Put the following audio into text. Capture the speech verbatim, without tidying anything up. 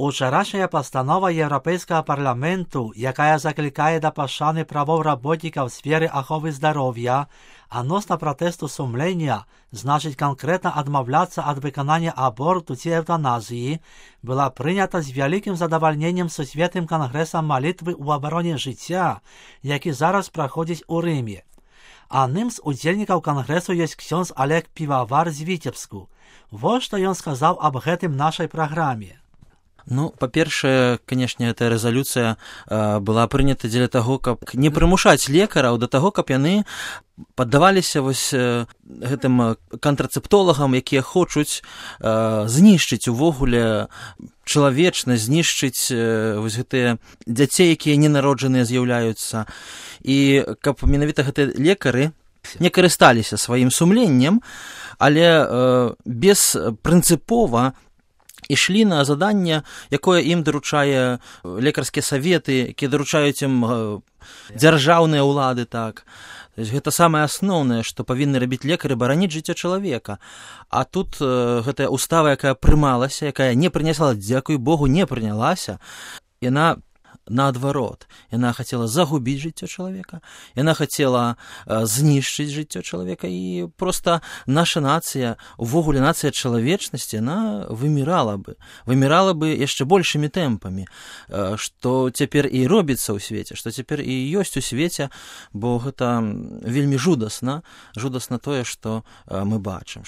Учорашняя постанова Європейського парламенту, яка закликає до пошани правов работників в сфері охорони здоров'я, относно протесту сумления, значит конкретно отмовляться от виконання аборту чи евтаназії, була прийнята з великим задовольненням Всесвітнім конгресом молитви у обороні життя, який зараз проходить у Римі. Одним з удзельників конгресу є ксьонз Олег Пивовар з Витебску. Вот что он сказал об гэтым нашей программе. Ну, па-першае, канешне, эта рэзалюцыя э, была прынята дзеля таго, каб не прымушаць лекараў да таго, каб яны паддаваліся вось э, гэтым кантрацэптолагам, якія хочуць э, знішчыць увогуле чалавечнасць, знішчыць э, вось гэтыя дзяцей, якія ненароджаныя з'яўляюцца. І каб менавіта гэтыя лекары не карысталіся сваім сумленнем, але э, беспрынцыпова ішлі на заданне, якое ім даручае лекарскія саветы, якія даручаюць ім дзяржаўныя ўлады, так. Гэта самае асноўнае, што павінны рабіць лекары, бараніць жыццё чалавека. А тут э, гэтая устава, якая прымалася, якая не прыняла, дзякуй Богу, не прынялася, яна наадварот. Яна хацела загубіць жыццё чалавека, яна хацела э, знішчыць жыццё чалавека, і проста наша нацыя, увогуле нацыя чалавечнасці, яна вымірала бы, вымірала бы яшчэ большымі тэмпамі, э, што цяпер і робіцца ў свеце, што цяпер і ёсць у свеце, бо гэта вельмі жудасна, жудасна тое, што э, мы бачым.